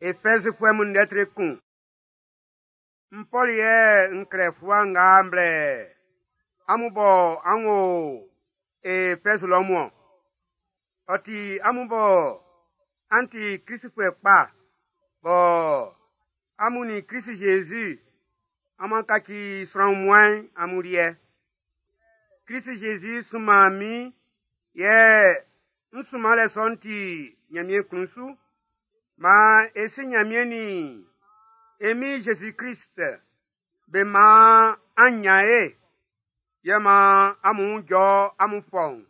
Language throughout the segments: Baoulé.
Efɛzfuɛ mun lɛtri kun. N Pɔl yɛ n klɛ fluwa nga m blɛ amun bɔ an wo Efɛz lɔ mun-ɔn. Ɔ ti amun bɔ an ti Kristfuɛ kpa bɔ amun nin Krist-Jésus amu'an kaci sran wunmuan'n amun liɛ. Krist-Jésus sunman min yɛ n sunmanlɛ sɔ'n ti Nyanmiɛn klun su. Maan e si Nyanmiɛn nin e Min Jésus-Krist be man an nyan ye, yɛ maan amun wun jɔ amun fɔuun.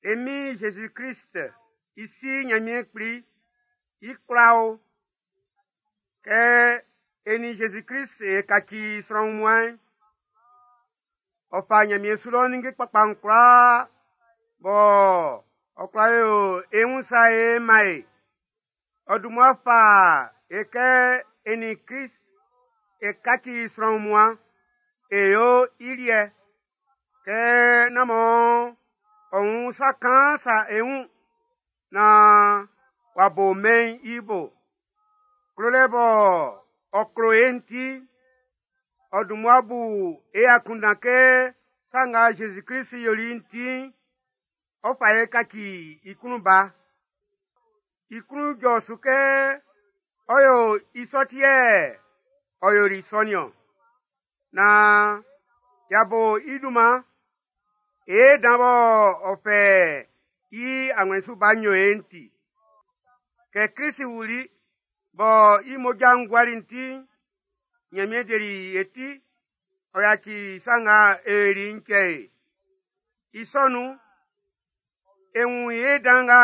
E Min Jésus-Krist i Si Nyanmiɛn Kpli, i kwla o! Kɛ e nin Jésus-Krist e kaci sran wunmuan'n, ɔ fa Nyanmiɛn su lɔ ninnge kpakpa'n kwlaa bɔ ɔ kwla yo e wun sa ye man e. Ɔ dun mmua fa e kɛ e nin Krist e kaci sran wunmuan, e yo i liɛ, kɛ nán mɔ ɔ wun sa kaan sa e wun, naan w'a bo mɛn'n i bo. Klolɛ bɔ ɔ klo e'n ti, ɔ dun mmua bu e akunndan kɛ sa nga Jésus-Krist yoli'n ti'n, ɔ fa e kaci i klun ba. I klun jɔ su kɛ ɔ yo i sɔ ti yɛ ɔ yoli sɔ nin-ɔn. Naan y'a bo i dunman, e dan bɔ ɔ fɛ i awlɛn su ba nyo e'n ti. Kɛ Krist wuli bɔ i mmoja'n guali'n ti'n, Nyanmiɛn deli e ti, ɔ yaci sa nga e yoli'n cɛ e. I sɔ nun'n, e wun ye dan nga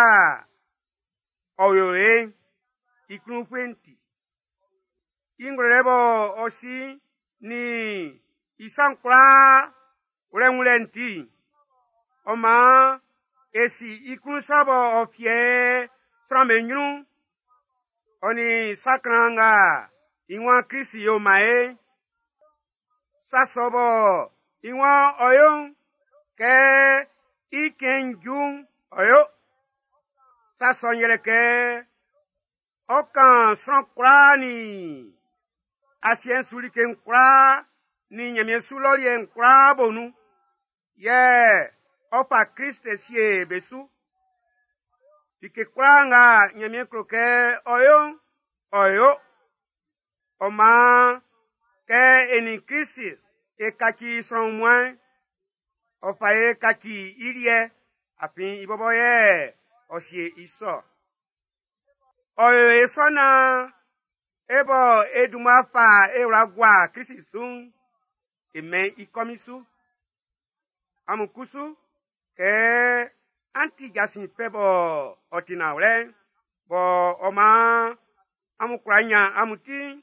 ɔ yo e'n, i klun-ufue'n ti. I ngwlɛlɛ bɔ ɔ si nin i sa'n kwlaa wlɛ wunlɛ'n ti'n, ɔ maan e si i klun sa bɔ ɔ fiɛ sran'm be nyrun'n, ɔ nin sa klan nga i waan Krist yo man e'n. Sa sɔ bɔ i waan ɔ yo'n, kɛ i cɛn'n ju'n, ɔ yo. Sa sɔ'n yɛlɛ kɛ ɔ kan sran kwlaa nin asiɛ'n su like'n kwlaa nin Nyanmiɛn su lɔ liɛ'n kwlaa bo nun, yɛ ɔ fa Krist sie be su. Like kwlaa nga Nyanmiɛn klo kɛ ɔ yo'n, ɔ yo. Ɔ maan, kɛ e nin Krist e kaci sran wunmuan'n, ɔ fa e kaci i liɛ, afin i bɔbɔ yɛ ɔ sie i sɔ. Ɔ yo e sɔ naan e bɔ e dun mmua fa e wla gua Krist su'n, e mɛn i kɔmin su. Amun kusu, kɛ an ti jasin fɛ bɔ ɔ ti nanwlɛ'n, bɔ ɔ maan amun kwla nyan amun ti'n,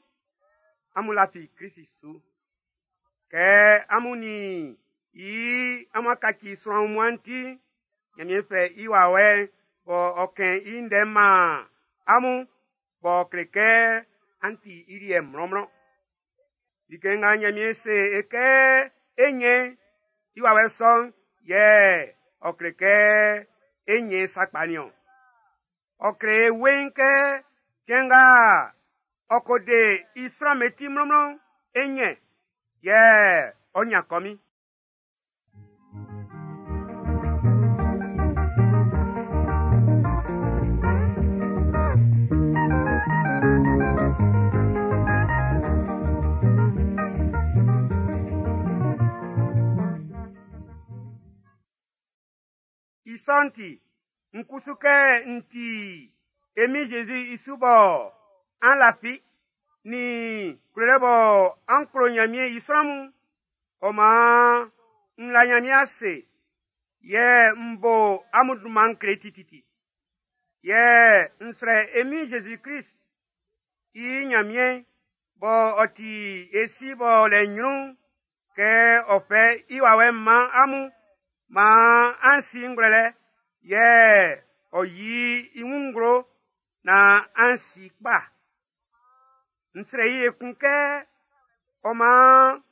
amun lafi Krist su. Kɛ amun nin i amun kaci sran wunmuan'n ti'n, Nyanmiɛn fɛ i wawɛ'n bɔ ɔ kɛn i ndɛ man amun b'ɔ kle kɛ an ti i liɛ mlɔnmlɔn. Like nga Nyanmiɛn se e kɛ e nyɛn i wawɛ sɔ'n yɛ ɔ kle kɛ e nyɛn sakpa nin-ɔn. Ɔ kle e weiin kɛ cɛn nga ɔ ko de i sran'm be ti mlɔnmlɔn'n, e nyɛn, yɛ ɔ nyan kɔmin. I sɔ'n ti, n kusu kɛ n ti e Min Jésus i su bɔ an lafi, nin klolɛ bɔ an klo Nyanmiɛn i sran mun, ɔ maan n la Nyanmiɛn ase, yɛ n bo amun dunman'n kle tititi. Yɛ n srɛ e Min Jésus-Krist i Nyanmiɛn bɔ ɔ ti e Si b'ɔ lɛ nyrun'n, kɛ ɔ fɛ i wawɛ'n man amun, maan an si ngwlɛlɛ, yɛ ɔ yi i wun nglo naan an si kpa. N srɛ i ekun kɛ ɔ maan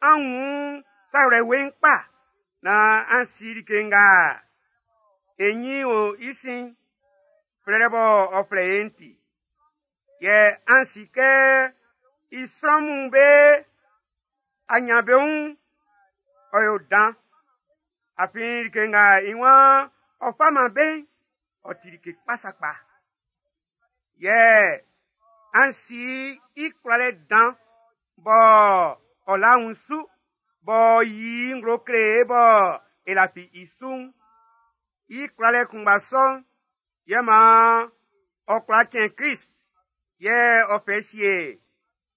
an wun sa wlɛ weiin kpa naan an si like nga e ɲin o i sin flɛlɛ bɔ ɔ flɛ e'n ti. Yɛ an si kɛ i sran mun be aɲanbeun'n ɔ yo dan. Afin like nga i waan ɔ fa man be'n, ɔ ti like kpa sakpa. Yɛ an si i kwlalɛ dan bɔ ɔ la wun su, b'ɔ yi i nglo kle e bɔ e lafi i su'n. I kwlalɛ kunngba sɔ'n yɛ maan ɔ kwla cɛn Krist yɛ ɔ fɛ sie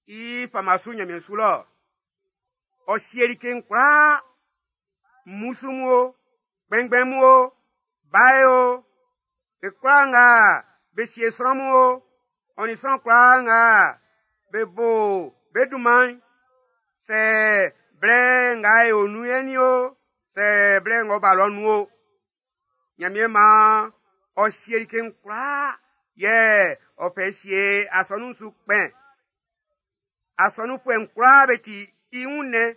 i fama su Ɲanmiɛn su lɔ. Ɔ sie like'n kwlaa, mmusu mun o, kpɛnngbɛn mun o, bae o, be kwlaa nga be sie sran mun o, ɔ nin sran kwlaa nga be bo be dunman'n, sɛ blɛ nga e o nun yɛ'n nin o, sɛ blɛ ng'ɔ ba lɔ nun o, Ɲanmiɛn maan ɔ sie like'n kwlaa yɛ ɔ fɛ sie asɔnun'n su kpɛn. Asɔnunfuɛ'n kwlaa be ti i wunnɛn,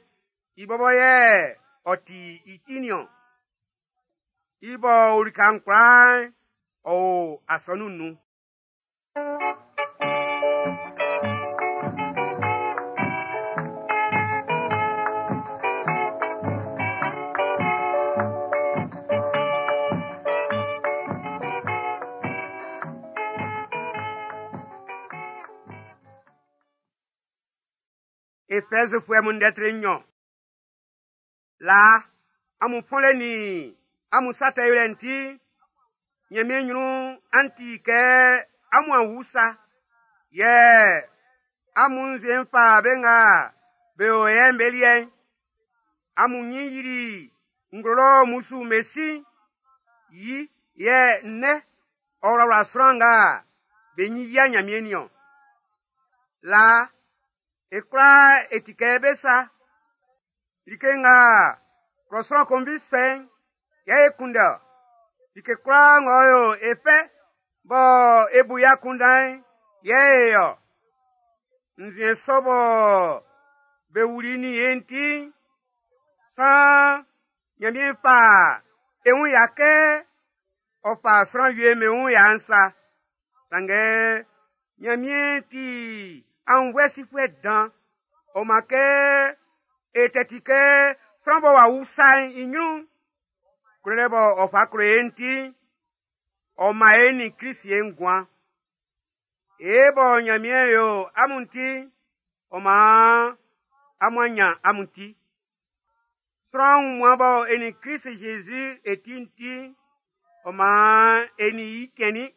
i bɔbɔ yɛ ɔ ti i ti niɔn. I bɔ o lika'n kwlaa'n, ɔ o asɔnun'n nun. Efɛzfuɛ mun ndɛ tre nɲɔn. Laa, amun fɔnlɛ nin amun sa tɛ yolɛ'n ti, Ɲanmiɛn ɲrun an ti kɛ amun a wu sa. Yɛ amun nzuɛn'n fa be nga be o yɛ'n be liɛ'n. Amun ɲin yili nglo lɔ mmusu'm be si'n, yi yɛ nnɛn ɔ wlawla sran nga be ɲin yia Ɲanmiɛn'n niɔn. Laa, e kwlaa e ti kɛ be sa. Like nga klɔ sran konvi sɔ'n yɛ e kunndɛ ɔ. Like kwlaa ng'ɔ yo e fɛ bɔ e bu i akunndan'n yɛ e ɔ. Nzuɛn sɔ bɔ be wuli nin e'n ti'n, saan Ɲanmiɛn fa e wun ya kɛ ɔ fa sran wie'm be wun ya'n sa. Sanngɛ Ɲanmiɛn ti aunnvuɛ sifuɛ dan. Ɔ maan kɛ e tɛ ti kɛ sran bɔ w'a wu sa'n i ɲrun'n, klolɛ bɔ ɔ fa klo e'n ti'n, ɔ man e nin Krist e nguan. E bɔ Ɲanmiɛn yo amun ti'n, ɔ maan amun a ɲan amun ti. Sran wunmuan bɔ e nin Krist Zezi e ti'n ti'n, ɔ maan e nin i cɛnnin.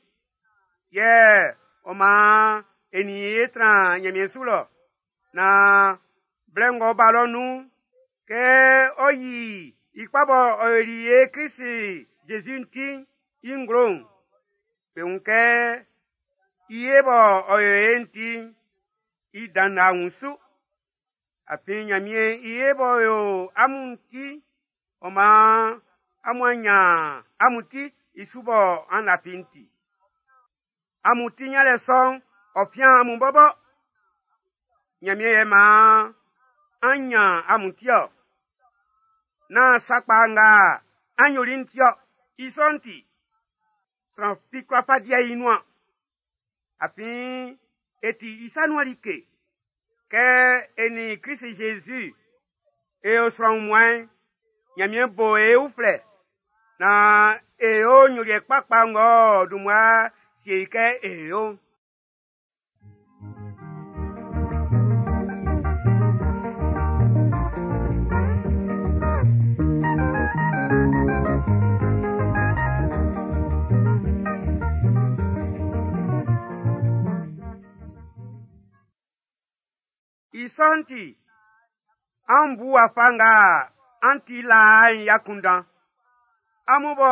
Yɛ ɔ maan e nin i e tran Ɲanmiɛn su lɔ. Naan blɛ ng'ɔ ba lɔ nun'n, kɛ ɔ yi i kpa bɔ ɔ yoli e Krist Jésus ti'n i nglo'n, be wun kɛ i ye bɔ ɔ yo e'n ti'n, i dan la wun su. Afin Ɲanmiɛn i ye b'ɔ yo amun ti, ɔ maan amun a ɲan amun ti i su bɔ an lafi'n ti. Amun ti ɲanlɛ sɔ'n, ɔ fian amun bɔbɔ. Ɲanmiɛn yɛ maan an ɲan amun ti ɔ. Nán sa kpa nga an yoli'n ti ɔ. I sɔ'n ti, sran fi kwla fa diɛ i nuan. Afin e ti i sa nuan like. Kɛ e nin Krist Jésus e o sran wunmuan'n, Ɲanmiɛn bo e uflɛ naan e yo nyoliɛ kpakpa ng'ɔ dun mmua sie i kɛ e yo'n. I sɔ'n ti, an bu wafa nga an ti laa'n i akunndan. Amun bɔ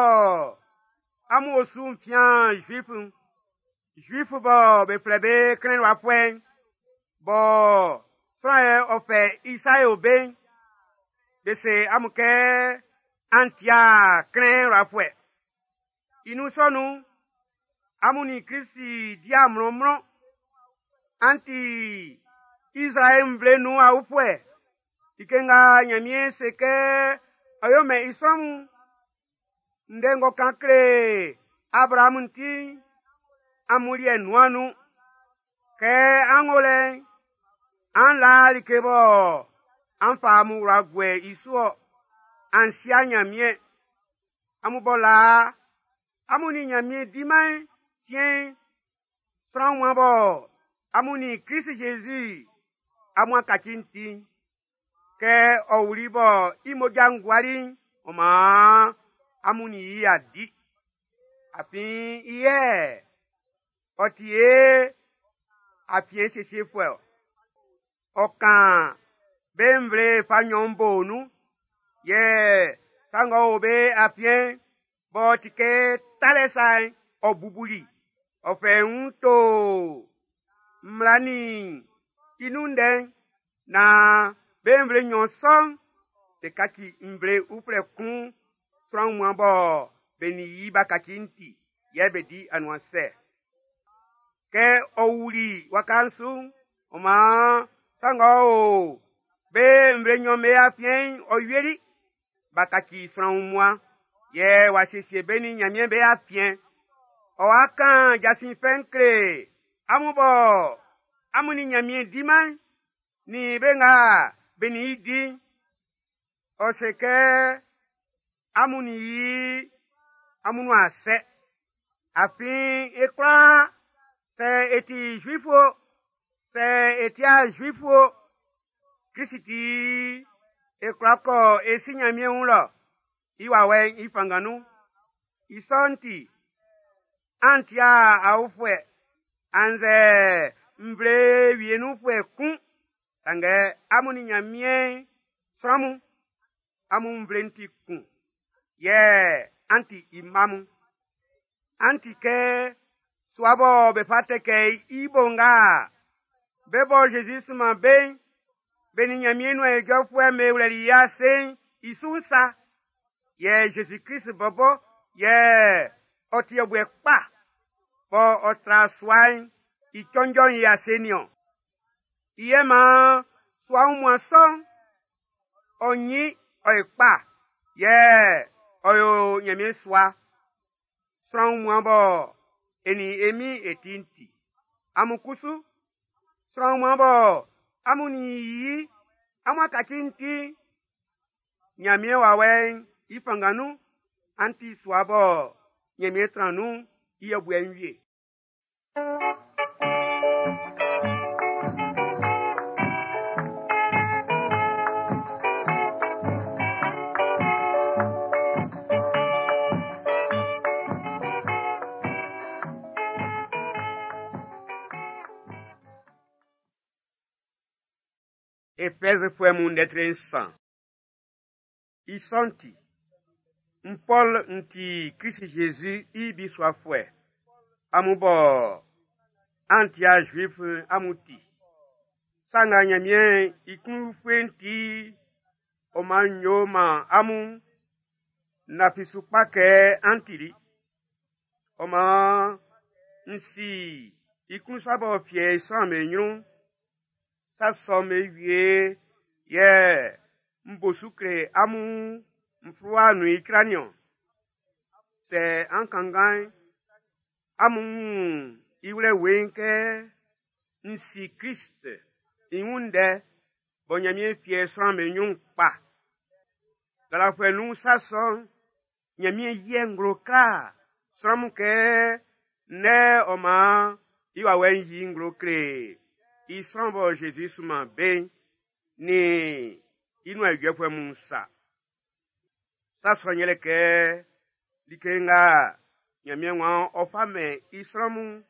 amun osu'n fian Zuif'n, Zuif bɔ be flɛ be Klɛnwafuɛ'n, bɔ sran yɛ ɔ fɛ i sa yo be'n, be se amun kɛ an ti'a Klɛnwafuɛ. I nun sɔ nun'n, amun nin Krist dia mlɔnmlɔn. An ti Izraɛl nvle nun aofuɛ. Like nga Nyanmiɛn se kɛ ɔ yo mɛn i sran mun'n, ndɛ ng'ɔ kan kle Abrahamu'n ti'n, amun liɛ nuan nun. Kɛ an o lɛ'n, an la like bɔ an fa amun wla guɛ i su-ɔ, an sia Nyanmiɛn. Amun bɔ laa, amun nin Nyanmiɛn di-man siɛn'n, sran wunmuan bɔ amun nin Krist Jésus amun a kaci'n ti'n, kɛ ɔ wuli bɔ i mmoja'n guali'n, ɔ maan amun nin i a di. Afin i yɛ ɔ ti e afiɛn siesiefuɛ-ɔ. Ɔ kan be nvle fa nnyɔn bo nun, yɛ sa ng'ɔ o be afiɛn'n, b'ɔ ti kɛ talɛ sa'n, ɔ bubuli. Ɔ fɛ i wun to mmla nin i nun ndɛ'n, naan be nvle nnyɔn sɔ'n be kaci nvle uflɛ kun sran wunmuan bɔ be nin i b'a kaci'n ti, yɛ be di anuansɛ. Kɛ ɔ wuli waka'n su'n, ɔ maan sa ng'ɔ o be nvle nnyɔn be afiɛn'n ɔ wieli. B'a kaci sran wunmuan, yɛ w'a siesie be nin Nyanmiɛn be afiɛn. Ɔ wa kan jasin fɛ'n kle amun bɔ amun nin Nyanmiɛn di-man'n, nin be nga be nin i di'n. Ɔ se kɛ amun nin i amun nuan sɛ. Afin e kwlaa, sɛ e ti Zuifu o, sɛ e ti'a Zuifu o, Krist ti e kwla kɔ e si Nyanmiɛn wun lɔ, i wawɛ'n i fanngan nun. I sɔ'n ti, an ti'a aofuɛ, annzɛ nvle wie nunfuɛ kun, sanngɛ amun nin Nyanmiɛn sran mun, amun nvle'n ti kun, yɛ an ti i mma mun. An ti kɛ sua bɔ be fa tɛkɛ i bo nga be bɔ Jésus sunman be'n, be nin Nyanmiɛn nuan ijɔfuɛ'm be wlɛli i ase'n i su'n sa. Yɛ Jésus Krist bɔbɔ yɛ ɔ ti yɛbuɛ kpa bɔ ɔ tra sua'n i cɔnjɔ'n i ase nin-ɔn. I yɛ maan sua wunmuan sɔ'n, ɔ nyin ɔ ye kpa, yɛ ɔ yo Nyanmiɛn sua. Sran wunmuan bɔ e nin e Min e ti'n ti. Amun kusu, sran wunmuan bɔ amun nin i amun a kaci'n ti'n, Nyanmiɛn wawɛ'n i fanngan nun, an ti sua bɔ Nyanmiɛn tran nun'n i yɛbuɛ'n wie. Efɛzfuɛ mun ndɛ tre nsan. I sɔ'n ti, n Pɔl n ti Krist Jésus i bisuafuɛ. Amun bɔ an ti'a Zuif amun ti. Sa nga Nyanmiɛn i klun-ufue'n ti, ɔ man n yo man amun, n lafi su kpa kɛ an tili. Ɔ man n si i klun sa b'ɔ fiɛ i sran'm be nyrun'n. Sa sɔ'm be wie yɛ n bo su kle amun n fluwa nun icra nin-ɔn. Sɛ an kanngan'n, amun wun i wlɛ weiin kɛ n si Krist i wun ndɛ bɔ Nyanmiɛn fiɛ sran'm be nyrun kpa. Lalafuɛ nun sa sɔ'n, Nyanmiɛn yɛ nglo kla sran mun kɛ ndɛ ɔ man i wawɛ'n yi nglo kle i sran bɔ Jésus sunman be'n, nin i nuan ijɔfuɛ mun sa. Sa sɔ'n yɛlɛ kɛ like nga Nyanmiɛn waan ɔ fa mɛn i sran mun,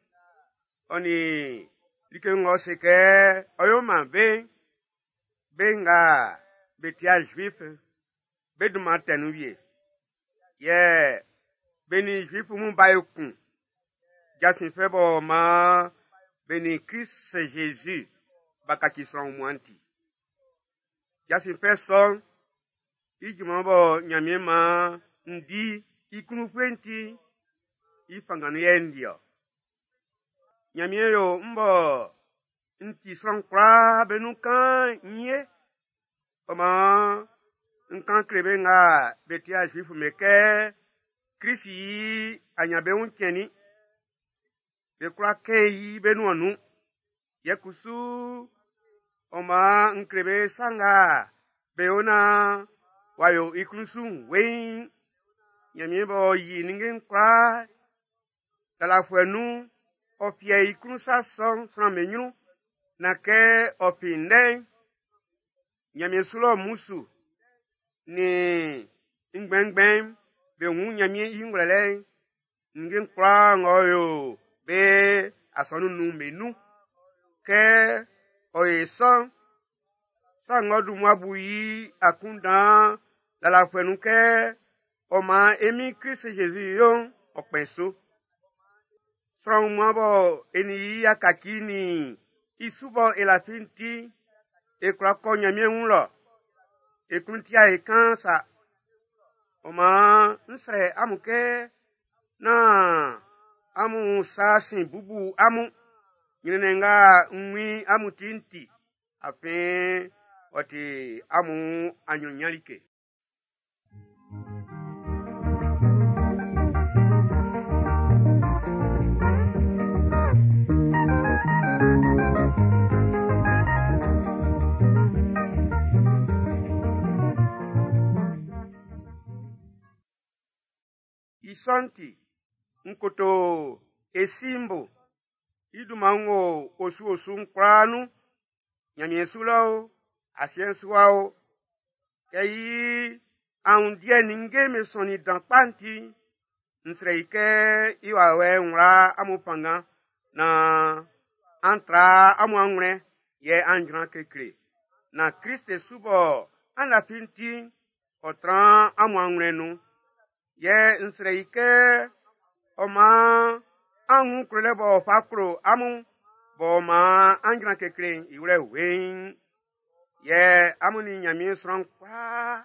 ɔ nin like ng'ɔ se kɛ ɔ yo man be'n, be nga be ti'a Zuif, be dunman tɛ nun wie. Yɛ be nin Zuif mun b'a ekun. Jasin fɛ b'ɔ maan be nin Krist Jésus b'a kaci sran wunmuan'n ti. Jasin fɛ sɔ'n, i junman bɔ Nyanmiɛn maan n di i klun-ufue'n ti, I fanngan nun yɛ n di-ɔ. Ɲanmiɛn yo m bɔ n ti sran kwlaa be nun kaan'n n ye. Ɔ maan n kan kle be nga be ti'a Zuifu'm be kɛ Klisi i aɲanbeun'n cɛnnin. Be kwla kɛn i be nuan nun. Yɛ kusu ɔ maan n kle be sa nga be yo naan w'a yo i klun su'n weiin. Ɲanmiɛn b'ɔ yi ninnge'n kwlaa lalafuɛ nun'n, ɔ fiɛ i klun sa sɔ'n sran'm be ɲrun, naan kɛ ɔ fin ndɛ'n, Ɲanmiɛn su lɔ mmusu nin ngbɛnngbɛn'n be wun Ɲanmiɛn i ngwlɛlɛ'n, ninnge'n kwlaa ng'ɔ yo be asɔnun'n nun'n be nun. Kɛ ɔ yo sɔ'n, sa ng'ɔ dun mmua bu i akunndan lalafuɛ nun kɛ ɔ maan e Min Klist Zezi yo'n, ɔ kpɛn su. Sran wunmuan bɔ e nin i y'a kaci nin i su bɔ e lafi'n ti, e kwla kɔ Ɲanmiɛn wun lɔ. E klun ti'a e kaan sa. Ɔ maan n srɛ amun kɛ nán amun sa sin bubu amun ɲrɛnnɛn nga n wun i amun ti'n ti, afin ɔ ti amun aɲrunɲan like. I sɔ'n ti, n koto e Si'n bo. I dunman'n wo osu-osu'n kwlaa nun, Ɲanmiɛn su lɔ o, asiɛ'n su wa o. Kɛ i aundiɛ ninnge'm be sɔnnin dan kpa'n ti'n, n srɛ i kɛ i wawɛ'n wla amun fanngan naan an tra amun anwlɛn yɛ an jran kekle. Naan Klist su bɔ an lafi'n ti'n, ɔ tran amun anwlɛn'n nun. Yɛ n srɛ i kɛ ɔ maan an wun klolɛ b'ɔ fa klo amun b'ɔ maan an jran kekle'n i wlɛ weiin. Yɛ amun nin Ɲanmiɛn sran kwlaa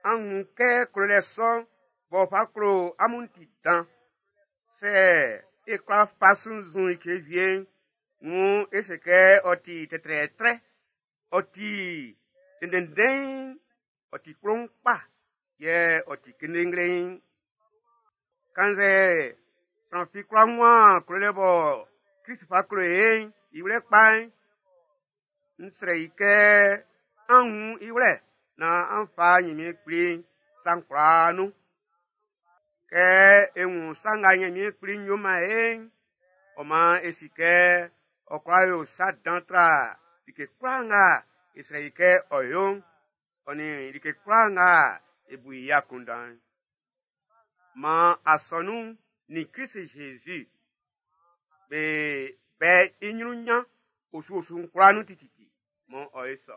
an wun kɛ klolɛ sɔ'n b'ɔ fa klo amun ti dan. Sɛ e kwla fa sunnzun like wie'n, wuun e se kɛ ɔ ti tɛtrɛɛtrɛ, ɔ ti ndɛnndɛn'n, ɔ ti kploun kpa, yɛ ɔ ti kendengleiin. Kannzɛ sran fi kwla wunman klolɛ bɔ Klist fa klo e'n i wlɛ kpa'n, n srɛ i kɛ an wun i wlɛ naan an fa Ɲanmiɛn Kpli sa'n kwlaa nun. Kɛ e wun sa nga Ɲanmiɛn Kpli yo man e'n, ɔ maan e si kɛ ɔ kwla yo sa dan tra like kwlaa nga e srɛ i kɛ ɔ yo'n, ɔ nin like kwlaa nga e bu i akunndan'n. Maan asɔnun'n nin Klist Zezi be bɛ i ɲrun ɲan osu-osu'n kwlaa nun tititi, mɔ ɔ ye sɔ.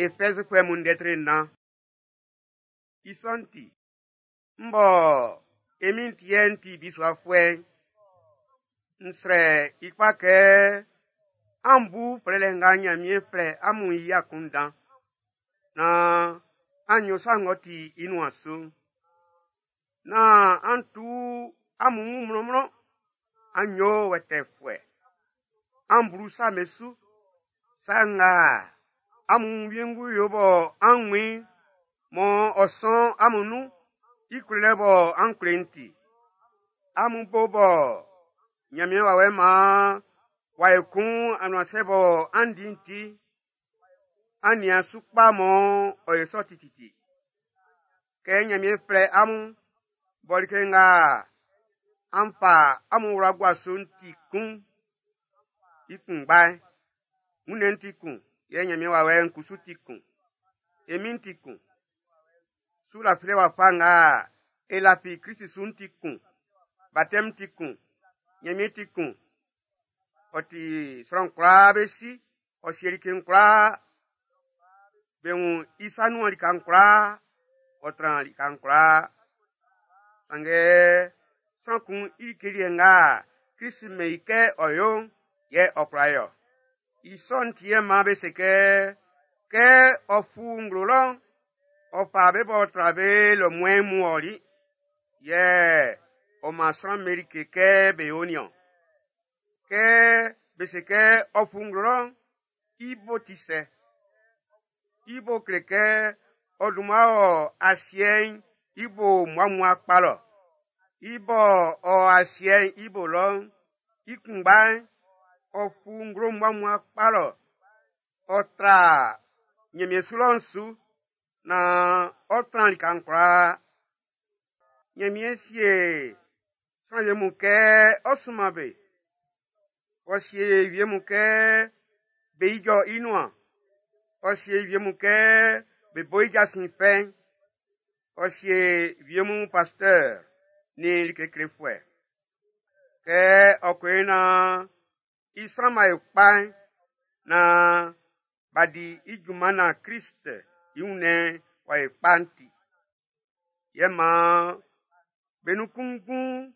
Efɛzfuɛ mun ndɛ tre nnan. I sɔ'n ti, m bɔ e Min'n ti yɛ n ti bisuafuɛ'n, n srɛ i kpa kɛ an bu flɛlɛ nga Ɲanmiɛn flɛ amun i akunndan, naan an yo sa ng'ɔ ti i nuan su'n. Nán an tu amun wun mlɔnmlɔn, an yo wɛtɛɛfuɛ. An blu sa'm be su. Sa nga amun wiengu yo bɔ an wun i'n, mɔ ɔ sɔn amun nun'n, i klolɛ bɔ an klo i'n ti. Amun bo bɔ Ɲanmiɛn wawɛ'n maan w'a ekun anuansɛ bɔ an di'n ti, an nian su kpa mɔ ɔ yo sɔ tititi. Kɛ Ɲanmiɛn flɛ amun bɔ like nga an fa amun wla gua su'n ti kun, i kunngba'n, wunnɛn'n ti kun, yɛ Ɲanmiɛn wawɛ'n kusu ti kun. E Min'n ti kun. Su lafilɛ wafa nga e lafi Klist su'n ti kun. Batɛm ti kun. Ɲanmiɛn ti kun. Ɔ ti sran kwlaa be si, ɔ sie like'n kwlaa. Be wun i sa nuan lika'n kwlaa, ɔ tran lika'n kwlaa. Sanngɛ sran kun i like liɛ nga Klist mɛn i kɛ ɔ yo'n, yɛ ɔ kwla yo. I sɔ'n ti yɛ maan be se kɛ, kɛ ɔ fu nglo lɔ'n, ɔ fa be b'ɔ tra be lomuɛn mun ɔli, yɛ ɔ man sran'm be like kɛ be yo nin-ɔn. Kɛ be se kɛ ɔ fu nglo lɔ'n, i bo ti sɛ? I bo kle kɛ ɔ dun mmua wɔ asiɛ'n i bo mmuammua kpa lɔ. I bɔ ɔ asiɛ'n i bo lɔ'n, i kunngba'n, ɔ fu nglo mmuammua kpa lɔ. Ɔ tra Ɲanmiɛn su lɔ'n su naan ɔ tran lika'n kwlaa. Ɲanmiɛn sie sran wie mun kɛ ɔ sunman be. Ɔ sie wie mun kɛ be ijɔ i nuan. Ɔ sie wie mun kɛ be bo i jasin fɛ'n. Ɔ sie wie mun pasteur nin like klefuɛ. Kɛ ɔ ko yo naan i sran'm b'a yo kpa'n, naan b'a di i junman naan Klist i wunnɛn'n w'a yo kpa'n ti. Yɛ maan be nun kunngun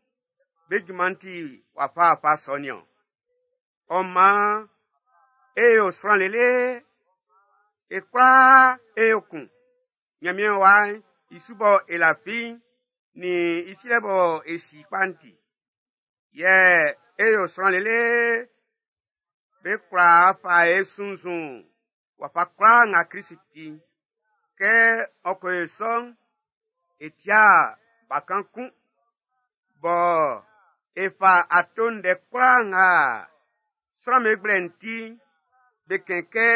be junman'n ti wafawafa sɔ nin-ɔn. Ɔ maan e yo sran lele, e kwlaa e yo kun. Ɲanmiɛn Wa'n i su bɔ e lafi'n nin i silɛ bɔ e si i kpa'n ti. Yɛ e yo sran lele be kwla fa e sunnzun wafa kwlaa nga Klist ti'n. Kɛ ɔ ko yo sɔ'n, e tia bakan kun, bɔ e fa ato ndɛ kwlaa nga sran'm be gblɛ'n ti'n, be kɛn kɛ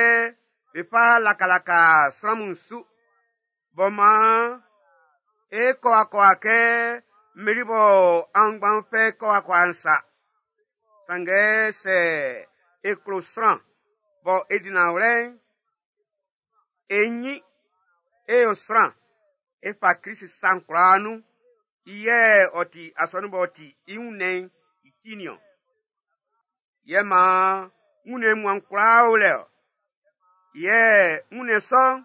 be fa lakalaka sran mun su. Bɔ maan e kɔ akɔwa kɛ mmeli bɔ aunngban'n fɛ kɔ akɔwa'n sa. Sanngɛ sɛ e klo sran bɔ e di nanwlɛ'n, e nyin, e yo sran, e fa Klist sa'n kwlaa nun. I yɛ ɔ ti asɔnun b'ɔ ti i wunnɛn'n i ti nin-ɔn. Yɛ maan wunnɛn wunmuan'n kwlaa o lɛ-ɔ. Yɛ wunnɛn sɔ'n,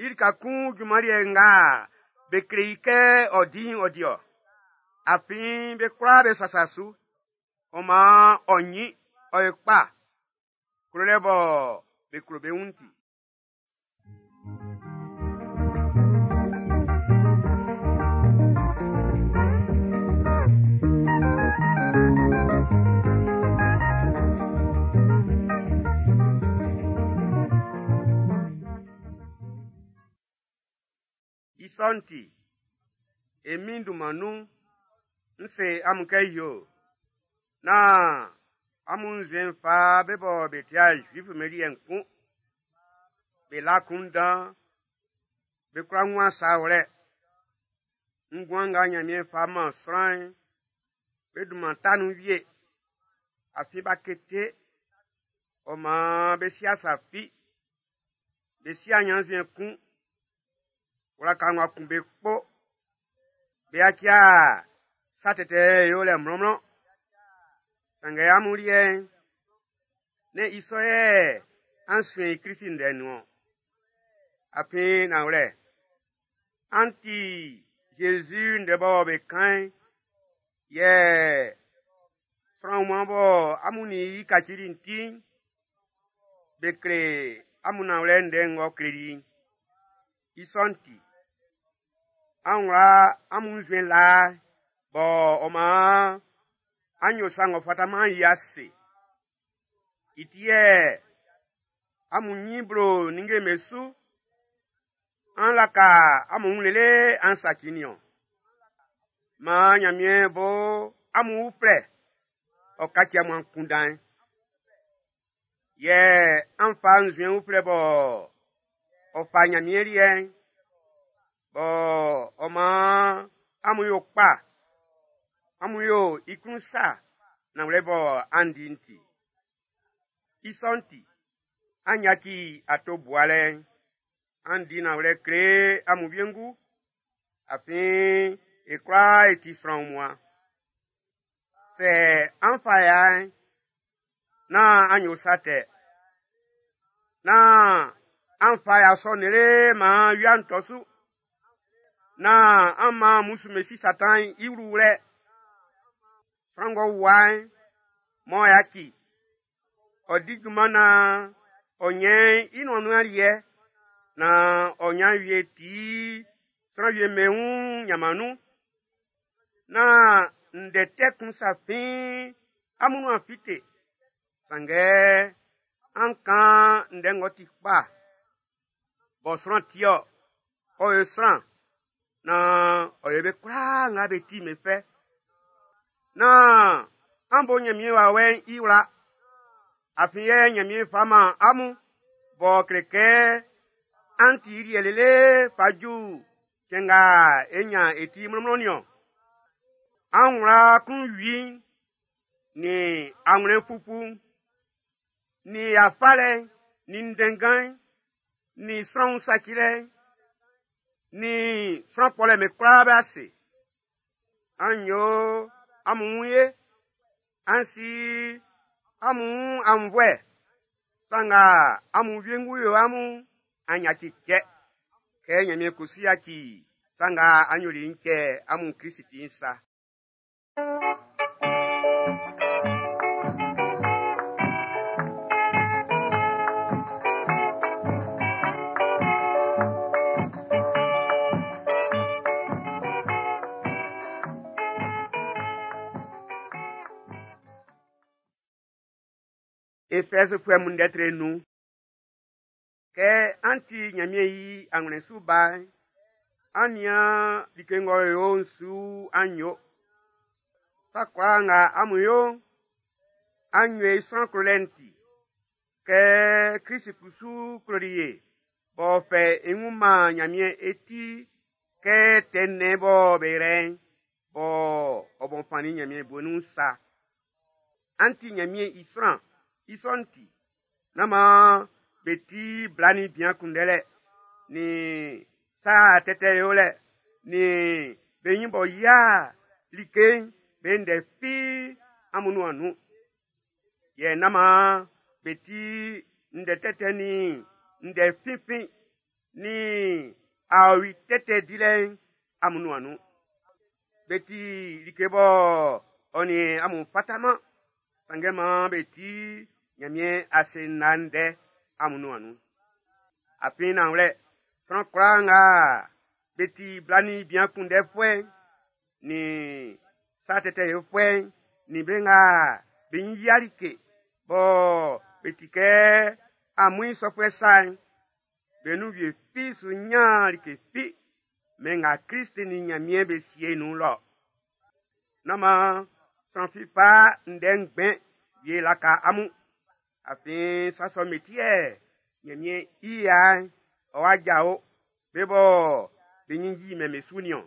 i lika kun junman liɛ nga be kle i kɛ ɔ di'n ɔ di-ɔ. Afin be kwlaa be sasa su. Ɔ maan ɔ nyin, ɔ yo kpa. Klolɛ bɔ be klo be wun'n ti. I sɔ'n ti, e Min'n dunman nun, n se amun kɛ yo, nán amun nzuɛn'n fa be bɔ be ti'a Zuif'm be liɛ'n kun. Be la akunndan, be kwla wun sa wlɛ. Nguan nga Nyanmiɛn fa man sran'n, be dunman ta nun wie. Afin b'a kete, ɔ maan be si'a sa fi. Be si'a ɲannzuɛn kun. Wlaka ng'ɔ kun be kpo. Be yaci'a sa tɛtɛ yolɛ mlɔnmlɔn. Sanngɛ amun liɛ'n, nɛ́n i sɔ yɛ an suɛn i Klist ndɛ'n nun-ɔn. Afin nanwlɛ, an ti Jésus ndɛ bɔ be kan'n, yɛ sran wunmuan bɔ amun nin i kacili'n ti'n, be kle amun nanwlɛ ndɛ ng'ɔ kleli'n. I sɔ'n ti, an wla amun nzuɛn laa'n bɔ ɔ maan an yo sa ng'ɔ fataman'n i ase. I ti yɛ amun ɲin blo ninnge'm be su, an laka amun wun lele an saci nin-ɔn. Maan Ɲanmiɛn bo amun uflɛ, ɔ kaci amun akunndan'n. Yɛ an fa nzuɛn uflɛ bɔ ɔ fa Ɲanmiɛn liɛ'n, bɔ ɔ maan amun yo kpa, amun yo i klun sa nanwlɛ bɔ an di'n ti. I sɔ'n ti, an yaci ato bualɛ'n, an di nanwlɛ kle amun wiengu, afin e kwlaa e ti sran wunmuan. Sɛ an fa ya'n, nán an yo sa tɛ. Nán An fa ya sɔ'n lele maan wia'n tɔ su. Nán an man mmusu'm be si Satan i wluwlɛ. Sran ng'ɔ wua'n, m'ɔ yaci, ɔ di junman naan ɔ ɲɛn i nuan nun aliɛ, naan ɔ ɲan wie ti sran wie'm be wun ɲanman nun. Nán ndɛ tɛ kun sa fin amun nuan fite. Sanngɛ an kan ndɛ ng'ɔ ti kpa, bɔ sran ti-ɔ, ɔ yo sran, naan ɔ yo be kwlaa nga be ti'n be fɛ. Nán an bo Ɲanmiɛn wawɛ'n i wla, afin yɛ Ɲanmiɛn fa man amun b'ɔ kle kɛ an ti i liɛ lele fa ju cɛn nga e ɲan e ti mlɔnmlɔn niɔn. An wla klunwi'n, nin anwlɛn fufu'n, nin ya falɛ'n, nin ndɛnngan'n, nin sran wun sacilɛ'n, nin sran kpɔlɛ'n be kwlaa be ase. An yo amun wun ye, an si amun wun aunnvuɛ, sa nga amun wiengu yo amun'n, an yaci cɛ. Kɛ Ɲanmiɛn kusu yaci sa nga an yoli i'n cɛ amun Klisi ti'n sa. Efɛzfuɛ mun ndɛ tre nun'n, kɛ an ti Ɲanmiɛn i anwlɛn su ba'n, an nian like ng'ɔ yo'n su an yo. Sa kwlaa nga amun yo'n, an yo i sran klolɛ'n ti. Kɛ Klisi kusu kloli ye, b'ɔ fɛ i wun man Ɲanmiɛn e ti kɛ tɛ nnɛn bɔ be yrɛ'n, bɔ ɔ bɔn fannin Ɲanmiɛn bue nun'n sa. An ti Ɲanmiɛn i sran, i sɔ'n ti, nán maan be ti bla nin bian kunndɛlɛ, nin sa tɛtɛ yolɛ, nin be ɲin b'ɔ yia like'n be ndɛ fi amun nuan nun. Yɛ nán maan be ti ndɛ tɛtɛ nin ndɛ finfin nin aɔwi tɛtɛ dilɛ'n amun nuan nun. Be ti like bɔ ɔ nin amun fataman, sanngɛ maan be ti Ɲanmiɛn ase ndɛ amun nuan nun. Afin nanwlɛ, sran kwlaa nga be ti bla nin bian kunndɛfuɛ'n, nin sa tɛtɛ yofuɛ'n, nin be nga be ɲin yia like bɔ be ti kɛ amuin sɔfuɛ sa'n, be nun wie fi su ɲan like fi mɛn nga Klist nin Ɲanmiɛn be sie nun lɔ. Nán maan sran fi fa ndɛ ngbɛn wie laka amun. Afin sa sɔ'm be ti yɛ Ɲanmiɛn i ya'n ɔ wa jao be bɔ be ɲin yimɛn be su niɔn.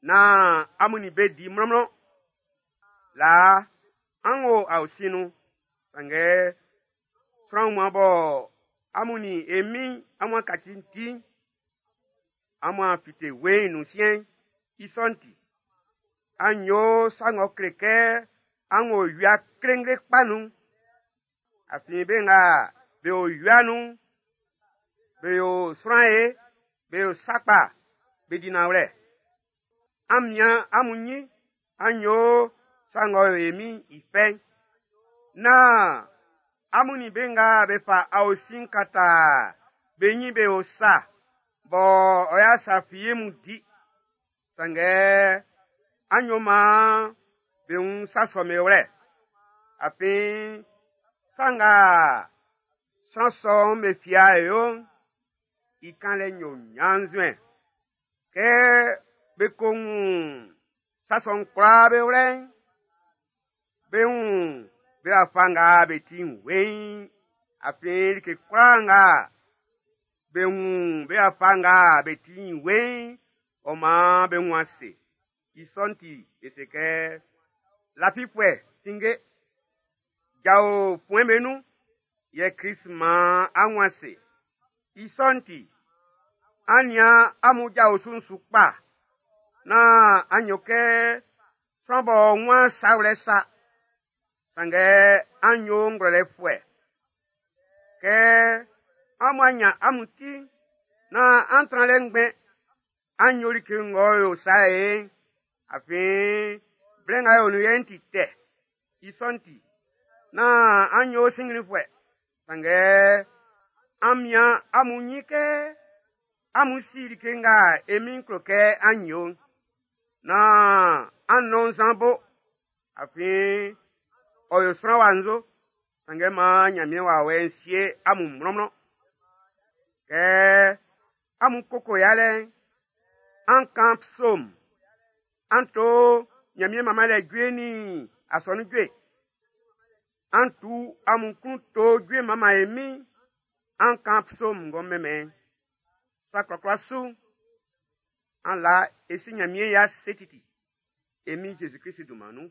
Nán amun nin be di mlɔnmlɔn. Laa, an wo aosin nun, sanngɛ sran wunmuan bɔ amun nin e Min'n amun a kaci'n ti'n, amun a fite weiin nun siɛn'n, i sɔ'n ti, an yo sa ng'ɔ kle kɛ an wo wia klengle kpa nun'n. Afin be nga be o wia nun'n, be yo sran ye, be yo sa kpa, be di nanwlɛ. An mian amun ɲin, an yo sa ng'ɔ yo e Min'n i fɛ'n. Nán amun nin be nga be fa aosin kata be ɲin be yo sa, bɔ ɔ ya sa fi mun di. Sanngɛ an yo maan be wun sa sɔ'm be wlɛ. Afin sa nga sran sɔ'm be fia e yo'n, i kanlɛ yo ɲannzuɛn. Kɛ be ko wun sa sɔ'n kwlaa be wlɛ'n, be wun be wafa nga be ti'n weiin. Afin like kwlaa nga be wun be wafa nga be ti'n weiin, ɔ maan be wun ase. I sɔ'n ti, be se kɛ, lafifuɛ, tinnge, jao fuɛn'm be nun, yɛ Klist maan an wun ase. I sɔ'n ti, an nian amun ja osu'n su kpa, nán an yo kɛ sran b'ɔ wun sa wlɛ sa, sanngɛ an yo ngwlɛlɛfuɛ. Kɛ Amun anya amun ti na an tran lɛ ngbɛn. An yo like ng'ɔ yo sa ye'n. Afin blɛ nga e o nun yɛ'n ti tɛ. I sɔ'n ti, nán an yo sinnglinfuɛ. Sanngɛ an mian amun ɲin kɛ amun si like nga e Min'n klo kɛ an yo'n. Nán an nɔn nzan bo. Afin ɔ yo sran wa nzo. Sanngɛ maan Ɲanmiɛn wawɛ'n sie amun mlɔnmlɔn. Kɛ amun koko yalɛ'n, an kan psaume, an to Ɲanmiɛn manmanlɛ jue nin asɔnun jue. An tu amun klun to jue manman e Min'n, an kan psaume ng'ɔ mɛnmɛn. Sa kwlakwla su, an la e si Ɲanmiɛn i ase titi. E Min Jésus Christ dunman nun.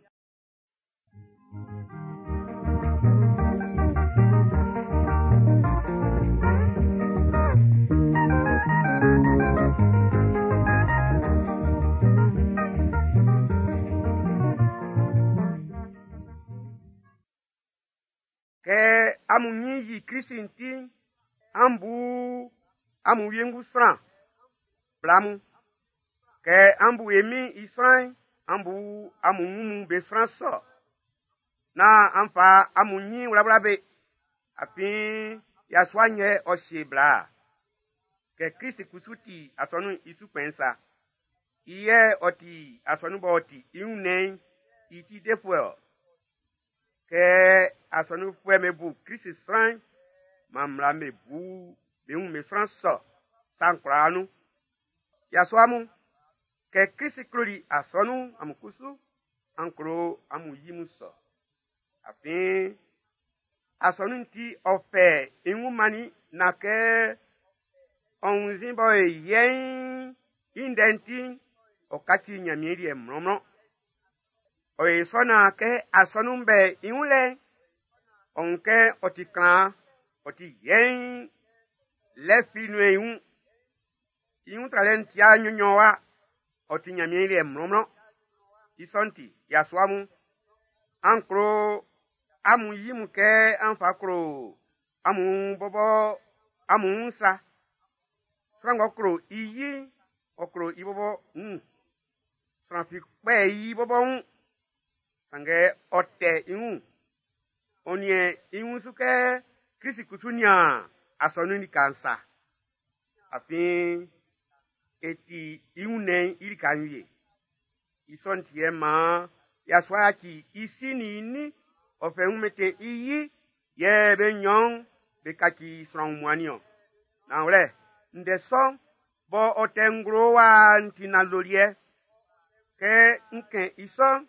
Kɛ amun ɲin yi Klisi'n ti'n, an bu amun wiengu sran bla mun. Kɛ an bu e Min'n i sran'n, an bu amun wun mun be sran sɔ. Nán an fa amun ɲin wlawla be. Afin yasua'n yɛ ɔ sie bla-a. Kɛ Klisi kusu ti asɔnun'n i su kpɛn'n sa. I yɛ ɔ ti asɔnun b'ɔ ti i wunnɛn'n i ti defuɛ-ɔ. Kɛ asɔnunfuɛ'm be bu Klisi sran'n, maan mmla'm be bu be wun be sran sɔ sa'n kwlaa nun. Yasua mun, kɛ Klisi kloli asɔnun'n, amun kusu an klo amun yi mun sɔ. Afin asɔnun'n ti ɔ fɛ i wun mannin na kɛ ɔ wunnzin bɔ e yɛ'n i ndɛ'n ti'n, ɔ kaci Ɲanmiɛn liɛ mlɔnmlɔn. Ɔ yo sɔ naan kɛ asɔnun'n bɛ i wun lɛ'n, ɔ wun kɛ ɔ ti klan, ɔ ti yɛiin, lɛ fi nun'ɛn i wun. I wun tralɛ'n ti'a nyɔnnyɔnwa, ɔ ti Ɲanmiɛn liɛ mlɔnmlɔn. I sɔ'n ti, yasua mun, an klo amun yi mun kɛ an fa klo amun bɔbɔ amun wun sa. Sran ng'ɔ klo i yi'n, ɔ klo i bɔbɔ wun. Sran fi kpɛ i bɔbɔ wun. Sanngɛ ɔ tɛ i wun. Ɔ niɛn i wun su kɛ Klisi kusu nian asɔnun'n lika'n sa. Afin e ti i wunnɛn'n i lika'n wie. I sɔ'n ti yɛ maan yasua yaci i si nin i nin, ɔ fɛ i wun mɛntɛn i yi, yɛ be nɲɔn'n be kaci sran wunmuan niɔn. Nanwlɛ, ndɛ sɔ'n bɔ ɔ tɛ nglo wa'n ti nanndoliɛ. Kɛ n kɛn i sɔ'n,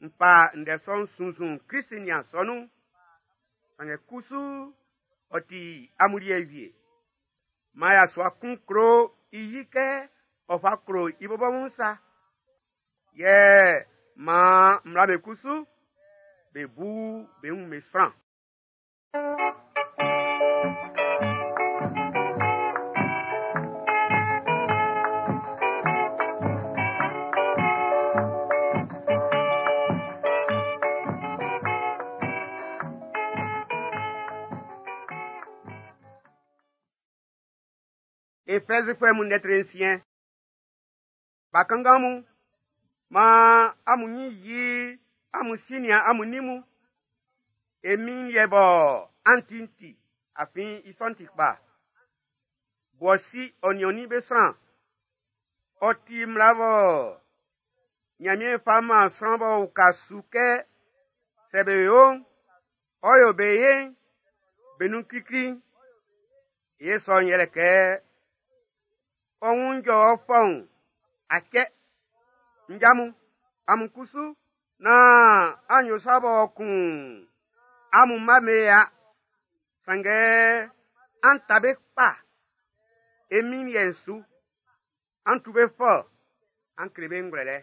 n fa ndɛ sɔ'n sunnzun Klisi nin asɔnun'n. Sanngɛ kusu ɔ ti amun liɛ wie. Maan yasua kun klo i yi kɛ ɔ fa klo i bɔbɔ wun sa. Yɛ maan mmla be kusu be bu be wun be sran. Efɛzifuɛ mun lɛtri nsiɛn. Bakanngan mun, maan amun ɲin yi amun si nin amun nin mun. E Min'n liɛ bɔ an ti'n ti, afin i sɔ'n ti kpa. Bu ɔ si ɔ nin ɔ nin be sran. Ɔ ti mmla bɔ Ɲanmiɛn fa man sran b'ɔ uka su kɛ sɛ be yo'n, ɔ yo be ye'n, be nun klikli'n. I sɔ'n yɛlɛ kɛ ɔ wun jɔ ɔ fɔun a cɛ. Nja mun, amun kusu, nán an yo sa b'ɔ kun amun mma be ya. Sanngɛ an ta be kpa e Min'n liɛ'n su. An tu be fɔ, an kle be ngwlɛlɛ.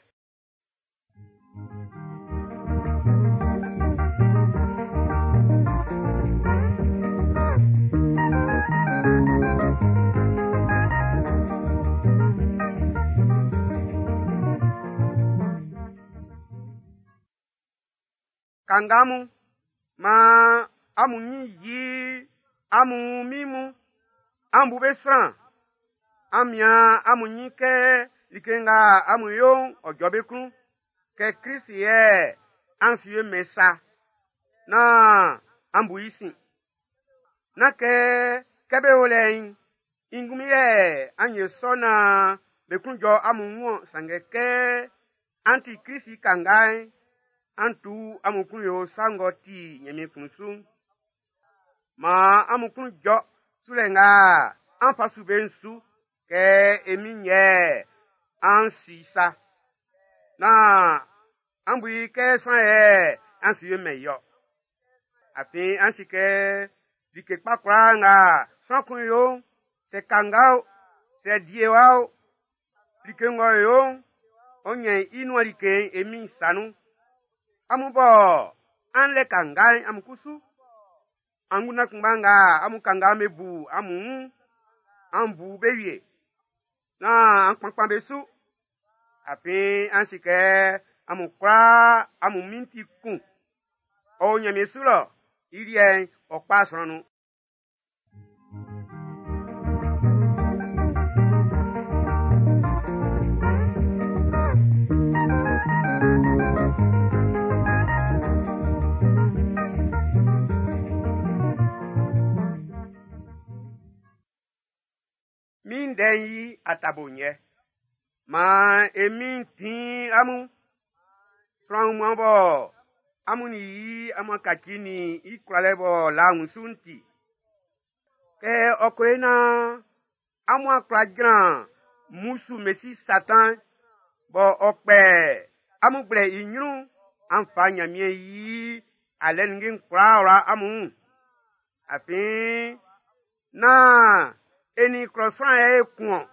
Kanga mun, maan amun ɲin yi amun min mun. An bu be sran, an mian amun ɲin kɛ like nga amun yo'n ɔ jɔ be klun, kɛ Krist yɛ an su ye mɛn sa, nán an bu i sin. Nán kɛ be o lɛ'n, i ngunmin yɛ an yo sɔ naan be klun jɔ amun wun-ɔn, sanngɛ kɛ an ti Krist i kanga'n, an tu amun klun yo sa ng'ɔ ti Nyanmiɛn klun su'n. Maan amun klun jɔ sulɛ nga an fa su be'n su, kɛ e Min'n yɛ an si sa. Nán an bu i kɛ sran yɛ an su yo mɛn i-ɔ. Afin an si kɛ like kpa kwlaa nga sran kun yo'n, sɛ kanga o, sɛ diewa o, like ng'ɔ yo'n, ɔ ɲɛn i nuan like'n e Min'n sa nun. Amun bɔ an lɛ kanga'n amun kusu, angunndan kunngba nga amun kanga'n be bu amun wun'n, an bu be wie. Nán an kpankpan be su. Afin an si kɛ amun kwlaa amun Min'n ti kun. Ɔ o Nyanmiɛn su lɔ, i liɛ'n ɔ kpa sran nun. Min ndɛ'n yi atabo nyɛ. Maan e Min'n tin amun. Sran wunmuan bɔ amun nin yi amun kaci nin i kwlalɛ b'ɔ la wunsu'n ti. Kɛ ɔ ko yo naan amun a kwla jran mmusu Mesi Satan bɔ ɔ kpɛ amun gblɛ i ɲrun'n, an fa Nyanmiɛn yi alɛ ninnge'n kwlaa wla amun wun. Afin nán e nin klɔ sran yɛ e kun-ɔn,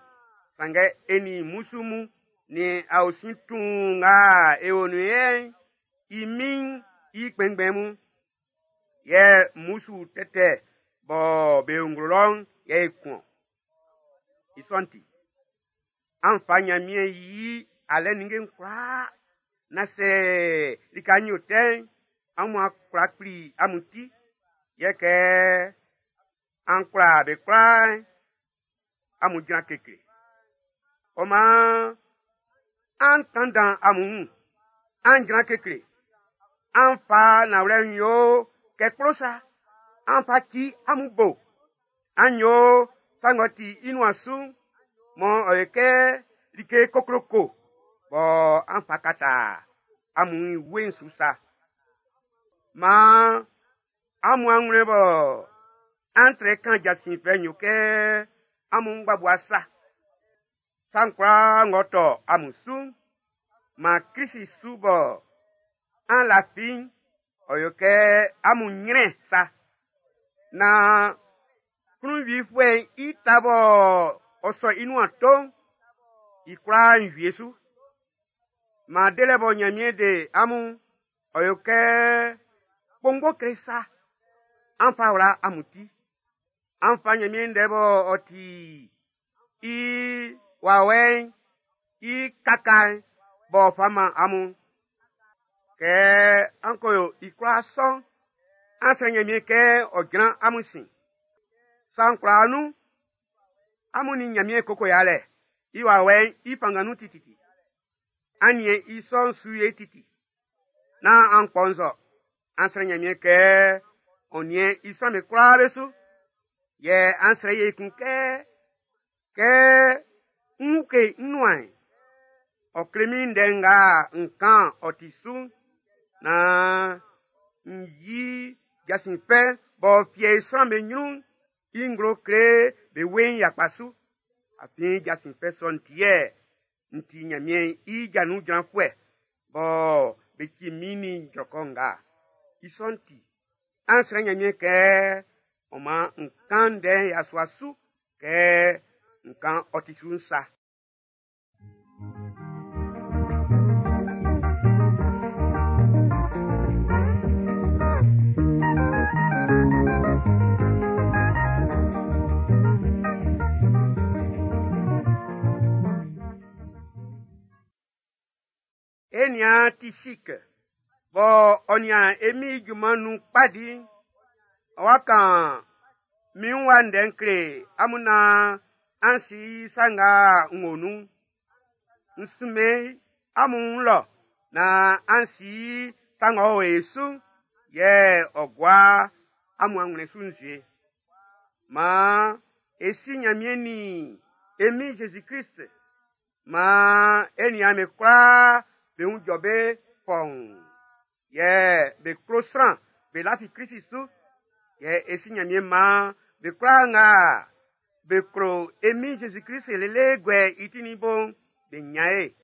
sanngɛ e nin mmusu mun nin aosin tuun nga e o nun yɛ'n, i min'n i kpɛnngbɛn mun. Yɛ mmusu tɛtɛ bɔ be o nglo lɔ'n yɛ e kun-ɔn. I sɔ'n ti, an fa Nyanmiɛn yi alɛ ninnge'n kwlaa, na sɛ lika'n yo tɛ'n, amun a kwla kpli amun ti, yɛ kɛ an kwla be kwlaa'n, amun jran kekle. Ɔ maan, an tanndan amun wun, an jran kekle, an fa nanwlɛ'n yo kɛ kplo sa, an fa ci amun bo, an yo sa ng'ɔ ti i nuan su'n, mɔ ɔ yɛ kɛ like kokloko bɔ an fa kata amun wue'n su sa. Maan amun anwlɛn bɔ an trɛ kan jasin fɛ'n yo kɛ amun ngbabua sa. Sa'n kwlaa ng'ɔ tɔ amun su'n, maan Krist su bɔ an lafi'n, ɔ yo kɛ amun nyrɛn sa. Naan klunwifuɛ'n i ta bɔ ɔ sɔ i nuan to'n, i kwlaa'n wie su. Maan delɛ bɔ Nyanmiɛn de amun'n, ɔ yo kɛ kpongbo kle sa. An fa wla amun ti. An fa Nyanmiɛn ndɛ bɔ ɔ ti i wawɛ'n i kaka'n b'ɔ fa man amun. Kɛ an ko yo i kwlaa sɔ'n, an srɛ Nyanmiɛn kɛ ɔ jran amun sin. Sa'n kwlaa nun, amun nin Nyanmiɛn koko yalɛ, i wawɛ'n i fanngan nun tititi. An niɛn i sɔ'n su ye titi. Nán an kpɔnzɔ, an srɛ Nyanmiɛn kɛ ɔ niɛn i sran'm be kwlaa be su. Yɛ an srɛ i ekun kɛ, kɛ n uke n nuan'n, ɔ kle min ndɛ nga n kan ɔ ti su'n, naan n yi jasin fɛ b'ɔ fiɛ i sran'm be ɲrun'n i nglo kle be weiin yakpa su. Afin jasin fɛ sɔ'n ti yɛ n ti Nyanmiɛn i ja nun jranfuɛ bɔ be ci min nin jrɔkɔ nga. I sɔ'n ti, an srɛ Nyanmiɛn kɛ ɔ man n kan ndɛ'n yasua su kɛ n kan ɔ ti su'n sa. E nian Tisik bɔ ɔ nian e Min'n i junman nun kpa di'n, ɔ wa kan Min wa ndɛ n kle amun naan an si sa nga n wo nun'n. N sunmɛn amun wun lɔ naan an si sa ng'ɔ o e su'n, yɛ ɔ gua amun anwlɛn su nzue. Maan e si Ɲanmiɛn nin e Min Zezi Klist. Maan e niaan'm be kwlaa be wun jɔ be fɔuun. Yɛ be klo sran, be lafi Klisi su. Yɛ e si Ɲanmiɛn maan be kwlaa nga be klo e Min Zezi Klist lele guɛ i ti nin i bo'n, be ɲan ye.